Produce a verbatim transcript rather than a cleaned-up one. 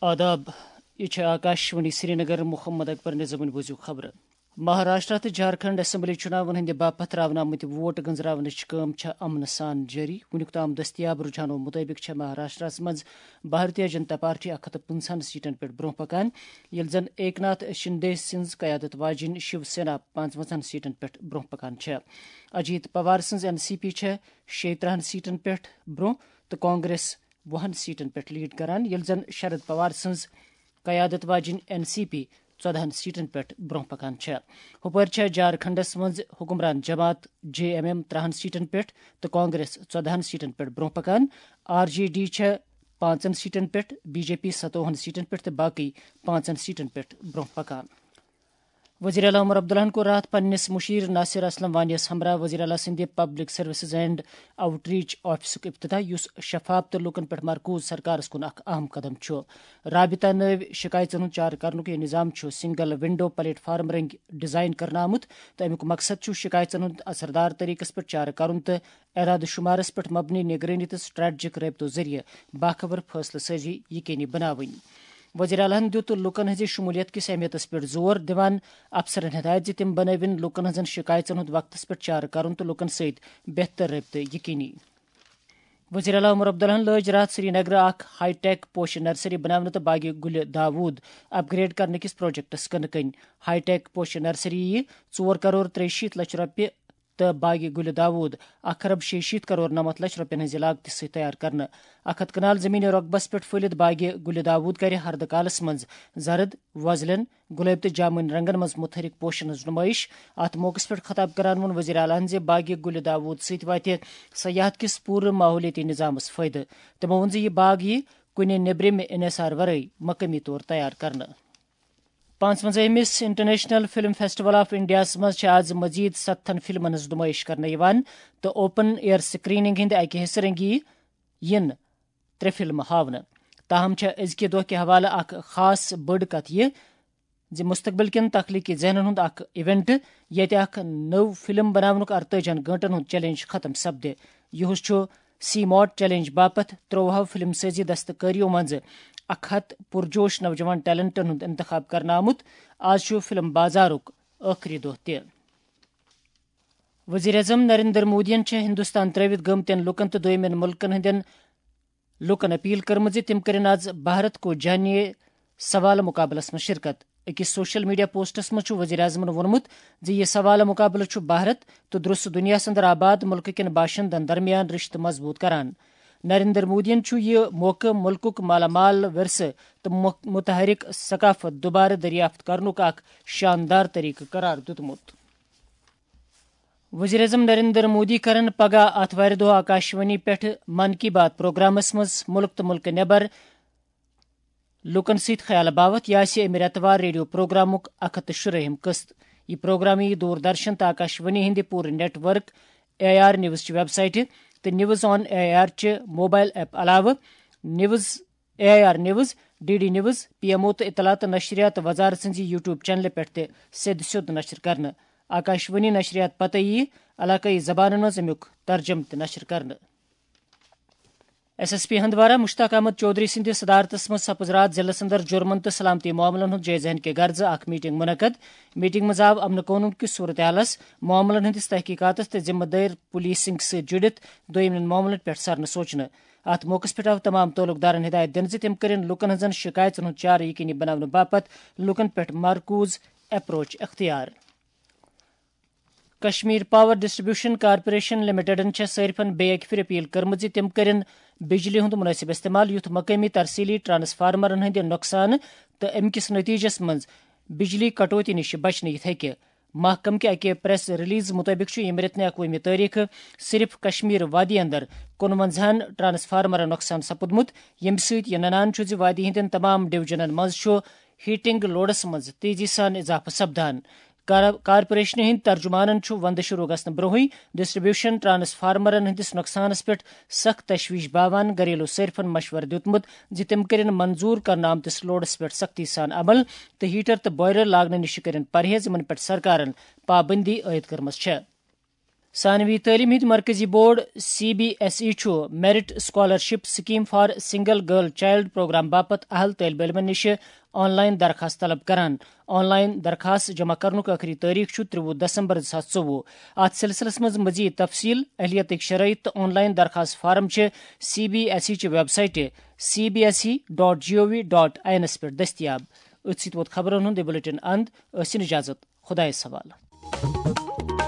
آداب، یہِ چھِ آکاشوانی سرینگر۔ محمد اکبر نظامٕنۍ بوٗزِو خبرٕ۔ مہاراشٹرا تہٕ جھارکھنڈ اسمبلی چُناون ہٕنٛدِ باپتھ ترٛاونہٕ آمٕتۍ ووٹ گنزراونٕچ کٲم چھےٚ امنہٕ سان جٲری۔ وُنیُک تام دٔستیاب رُجحانو مُطٲبِق چھےٚ مہاراشٹراہَس منٛز بھارتیہ جنتا پارٹی اکھ ہتھ تہٕ پٕنٛژٕہَن سیٹن پٮ۪ٹھ برونٛہہ پکان، ییٚلہِ زن ایک ناتھ شندے سٕنٛز قیادت واجیٚنۍ شیو سینا پانٛژوَنزاہَن سیٹن پٮ۪ٹھ برونٛہہ پکان چھےٚ۔ اجیت پوار سٕنٛز این سی پی چھےٚ شیٚیہِ ترٕٛہَن سیٹن پٮ۪ٹھ برونٛہہ تہٕ کانگریس وُہَن سیٹن پٮ۪ٹھ لیڈ کران، ییٚلہِ زن شرد پوار سٕنٛز قیادت واجیٚنۍ این سی پی ژۄدہَن سیٹن پٮ۪ٹھ برونٛہہ پکان چھےٚ۔ ہُپٲرۍ چھےٚ جھارکھنڈس منٛز حکمران جماعت جے ایم ایم ترٕٛہَن سیٹن پٮ۪ٹھ تہٕ کانگریس ژۄدہَن سیٹن پٮ۪ٹھ برونٛہہ پکان۔ آر جے ڈی چھےٚ پانٛژن سیٹن پٮ۪ٹھ، بی جے پی ستووُہَن سیٹن پٮ۪ٹھ تہٕ باقٕے پانٛژن سیٹن پٮ۪ٹھ برونٛہہ پکان۔ وزیر اعلیٰ عمر عبداللہَن کوٚر راتھ پننِس مُشیر ناصر اسلم وانیَس ہمراہ وزیر اعلیٰ سٕنٛدِ public services and outreach آفسُک افتتاح، یُس شفاف تہٕ لوٗکَن پٮ۪ٹھ مرکوز سرکارَس کُن اکھ اہم قدم چھُ۔ رابطہ نٲوۍ شکایژن ہُنٛد چارٕ کرنُک یہِ نظام چھُ سنگل ونڈو پلیٹ فارم رٔنٛگۍ ڈیزائن کرنہٕ آمُت تہٕ امیُک مقصد چھُ شکایژن ہُنٛد اثردار طریقس پٮ۪ٹھ چارٕ کرُن تہٕ اعداد و شمارس پٮ۪ٹھ مبنی نگرٲنی تہٕ سٹریٹجک رٲبطو ذٔریعہٕ باخبر فٲصلہٕ سٲزی یقینی بناوٕنۍ۔ وزیر اعلیٰ ہَن دِیُت لوٗکَن ہٕنٛزِ شمولیت کِس اہمیتَس پٮ۪ٹھ زور دِوان افسرَن ہدایت زِ تِم بنٲوِن لوٗکَن ہٕنٛزن شکایژن ہُنٛد وقتَس پٮ۪ٹھ چارٕ کرُن تہٕ لوٗکَن سۭتۍ بہتر رٲبطہٕ یقینی۔ وزیر اعلیٰ عمر عبداللہَن لٲج راتھ سری نگرٕ اکھ ہائی ٹیک پوشہِ نرسری بناونہٕ تہٕ باغِ گُلہِ داوود اپ گریڈ کرنہٕ کِس پروجیکٹَس کٕنہٕ کٕنۍ۔ ہائی ٹیک پوشہِ نرسری یِیہِ ژور کرور ترٛیہِ شیٖتھ لچھ رۄپیہِ تہٕ باغِ گُلہِ داوود اکھ ارب شیٚیہِ شیٖتھ کرور نَمَتھ لچھ رۄپیَن ہٕنٛزِ لاگتہِ سۭتۍ تیار کرنہٕ۔ اکھ ہتھ کنال زمینی رۄقبس پٮ۪ٹھ پھٔلِتھ باغِ گُلہِ داوود کرِ ہردٕ کالس منٛز زرد، وۄزلٮ۪ن، گۄلٲبۍ تہٕ جامنی رنگن منٛز متحرک پوشن ہٕنٛز نمٲیش۔ اتھ موقعس پٮ۪ٹھ خطاب کران ووٚن وزیر اعلیٰ ہَن زِ باغِ گُلہِ داوود سۭتۍ واتہِ سیاحت کِس پوٗرٕ ماحولیٲتی نظامس فٲیدٕ۔ تِمو ووٚن زِ یہِ باغ یِیہِ کُنہِ نیبرِمہِ انحصار ورٲے مقٲمی طور تیار کرنہٕ۔ پانٛژوَنٛزاہمِس انٹرنیشنل فلم فیسٹیول آف انڈیاہَس منٛز چھِ آز مزید ستتھن فلمن ہٕنٛز نمٲیش کرنہٕ یِوان تہٕ اوپن ایئر سکریننگ ہٕنٛدِ اکہِ حصہٕ رنگی یِن ترٛےٚ فلمہٕ ہاونہٕ۔ تاہم چھےٚ أزکہِ دۄہ کہِ حوالہٕ اکھ خاص بٔڑ کتھ یہِ زِ مستقبل کٮ۪ن تخلیقی ذہنن ہُنٛد اکھ ایونٹ، ییٚتہِ اکھ نٔو فلم بناونُک ارتٲجِہَن گٲنٛٹن ہُنٛد چیلنج ختم سپدِ۔ یِہُس چھُ سی ماٹ چیلنج باپتھ ترٛوہو فلم سٲزی دستکٲریو منٛزٕ اکھ ہتھ پُرجوش نوجوان ٹیلنٹن ہُنٛد انتخاب کرنہٕ آمُت۔ آز چھُ فلم بازارُک ٲخری دۄہ تہِ۔ وزیر اعظم نریندر مودیَن چھےٚ ہندوستان ترٲوِتھ گٔمتٮ۪ن لوٗکَن تہٕ دوٚیمٮ۪ن مُلکَن ہٕنٛدٮ۪ن لوٗکَن اپیل کٔرمٕژ زِ تِم کٔرِن آز بھارت کو جانیے سوال مقابلَس منٛز شرکت۔ أکِس سوشل میڈیا پوسٹَس منٛز چھُ وزیر اعظمَن ووٚنمُت زِ یہِ سوال مقابلہٕ چھُ بھارت تہٕ درٛوس دُنیاہَس اندر آباد مُلکہٕ کٮ۪ن باشندَن درمیان رشتہٕ مضبوٗط کران۔ نریندر مودیَن چھُ یہِ موقعہٕ مُلکُک مالا مال ورثہٕ تہٕ مُ-، متحرک ثقافت دوبارٕ دریافت کرنُک اکھ شاندار طریقہٕ قرار دیُتمُت۔ وزیر اعظم نریندر مودی کرن پگاہ آتھوارِ دۄہ آکاشوانی پٮ۪ٹھ من کی بات پروگرامس منٛز مُلک تہٕ مُلکہٕ نٮ۪بر لوٗکن سۭتۍ خیال باوتھ۔ یہِ آسہِ امہِ رٮ۪تہٕ وار ریڈیو پروگرامُک اکھ ہتھ تہٕ شُرٲہِم قسط۔ یہِ پروگرام یِیہِ دوردرشن تہٕ آکاشوانی ہٕنٛدِ پوٗرٕ network, AIR news چہِ ویب سائٹہِ تہٕ نیوز آن اے آر چہِ موبائل ایپ علاوٕ news, A I R news, D D news, P M O تہٕ اطلاعات تہٕ نشریات وزارت سٕنٛزِ یوٹیوب چینلہِ پٮ۪ٹھ تہِ سیٚدِ سیوٚد نشر کرنہٕ۔ آکاشوانی نشریات پتہٕ یِیہِ علاقٲیی زبانن منٛز امیُک ترجمہٕ تہِ نشر کرنہٕ۔ S S P Handwara Mushtaq Ahmad Chaudhary سٕنٛدِ صدارتس منٛز سپٕز راتھ ضلعس اندر جرمن تہٕ سلامتی معاملن ہُنٛد جٲیزٕ ہینہٕ کہِ غرضہٕ اکھ میٹنگ منعقد۔ میٹنگ منٛز آو امن قونون کِس صورتحالس، معاملن ہٕنٛدِس تحقیقاتس تہٕ ذمہٕ دٲر پولیسنگ سۭتۍ جُڑِتھ دوٚیمٮ۪ن معاملن پٮ۪ٹھ سرنہٕ سوچنہٕ۔ اتھ موقعس پٮ۪ٹھ آو تمام تعلق دارن ہدایت دِنہٕ زِ تِم کٔرِن لوٗکن ہٕنٛزن شِکایژن ہُنٛد چارٕ یقینی بناونہٕ باپتھ لوٗکن پٮ۪ٹھ مرکوز اپروچ اختیار۔ کشمیر پاور ڈسٹریبیوشن کارپوریشن لمیٹڈن چھےٚ صارفن بیٚیہِ اکہِ پھِرِ اپیل کٔرمٕژ زِ تِم کٔرِن بجلی ہُنٛد مُنٲسِب استعمال، یُتھ مقٲمی ترسیلی ٹرانسفارمرن ہٕنٛدِ نۄقصانہٕ تہٕ امہِ کِس نٔتیٖجس منٛز بجلی کٹوتی نِش بچنہٕ یِتھ ہیٚکہِ۔ محکمہٕ کہِ اکہِ پریس ریلیز مُطٲبِق چھُ ییٚمہِ رٮ۪تہٕ نہِ اَکوُہمہِ تٲریٖخہٕ صرف کشمیر وادی اندر کُنوَنزاہَن ٹرانسفارمرن نۄقصان سپُدمُت، ییٚمہِ سۭتۍ یہِ ننان چھُ زِ وادی ہٕنٛدٮ۪ن تمام ڈویژنن منٛز چھُ ہیٹنگ لوڈس منٛز تیزی سان اضافہٕ سپدان۔ کار-، کارپوریشنہِ ہٕنٛدۍ ترجمانن چھُ وندٕ شروع گژھنہٕ برونٛہٕے ڈسٹریبیوشن ٹرانسفارمرن ہٕنٛدِس نۄقصانس پٮ۪ٹھ سخت تشویش باوان گھریلو صارفن مشورٕ دیُتمُت زِ تِم کٔرِن منظور کرنہٕ آمتِس لوڈس پٮ۪ٹھ سختی سان عمل تہٕ ہیٹر تہٕ بوائلر لاگنہٕ نِش کٔرِن پرہیز، یِمن پٮ۪ٹھ سرکارن پابندی عائد کٔرمٕژ چھےٚ۔ ثانوی تعلیٖم ہٕنٛدۍ مرکزی board C B S E چھُ Merit Scholarship Scheme for Single Girl Child Program باپتھ اہل طٲلبہِ علمَن نِش آن لائن درخواست طلب کران۔ آن لائن درخواست جمع کرنُک ٲخری تٲریخ چھُ ترٛوُہ دسمبر زٕ ساس ژوٚوُہ۔ اتھ سلسلس منٛز مزید تفصیل، اہلیتٕکۍ شرائط تہٕ آن لائن درخواست فارم چھِ سی بی ایس ای چہِ ویب سائٹہِ C B S E dot G O V dot I N پٮ۪ٹھ دٔستیاب۔ أتھۍ سۭتۍ ووت خبرن ہُنٛد یہِ بلیٹن اند۔ ٲسِن اجازت، خدایس حوالہٕ۔